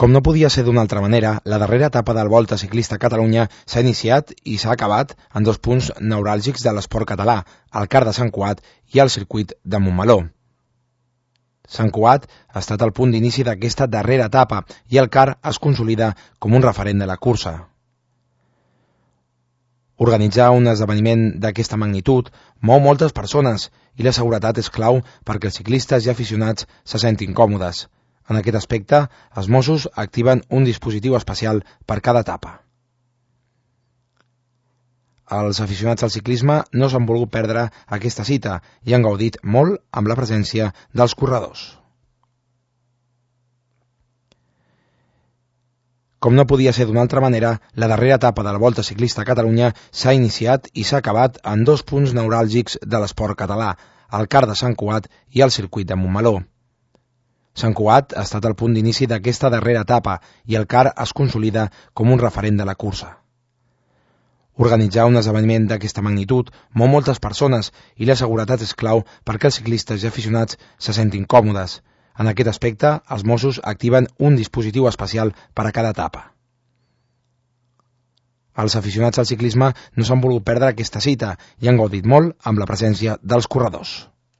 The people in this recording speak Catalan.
Com no podia ser d'una altra manera, la darrera etapa del Volta Ciclista a Catalunya s'ha iniciat i s'ha acabat en dos punts neuràlgics de l'esport català, el CAR de Sant Cugat i el circuit de Montmeló. Sant Cugat ha estat el punt d'inici d'aquesta darrera etapa i el CAR es consolida com un referent de la cursa. Organitzar un esdeveniment d'aquesta magnitud mou moltes persones i la seguretat és clau perquè els ciclistes i aficionats se sentin còmodes. En aquest aspecte, els Mossos activen un dispositiu especial per cada etapa. Els aficionats al ciclisme no s'han volgut perdre aquesta cita i han gaudit molt amb la presència dels corredors. Com no podia ser d'una altra manera, la darrera etapa de la Volta Ciclista a Catalunya s'ha iniciat i s'ha acabat en dos punts neuràlgics de l'esport català, el CAR de Sant Cugat i el circuit de Montmeló. Sant Cugat ha estat el punt d'inici d'aquesta darrera etapa i el CAR es consolida com un referent de la cursa. Organitzar un esdeveniment d'aquesta magnitud mou moltes persones i la seguretat és clau perquè els ciclistes i aficionats se sentin còmodes. En aquest aspecte, els Mossos activen un dispositiu especial per a cada etapa. Els aficionats al ciclisme no s'han volgut perdre aquesta cita i han gaudit molt amb la presència dels corredors.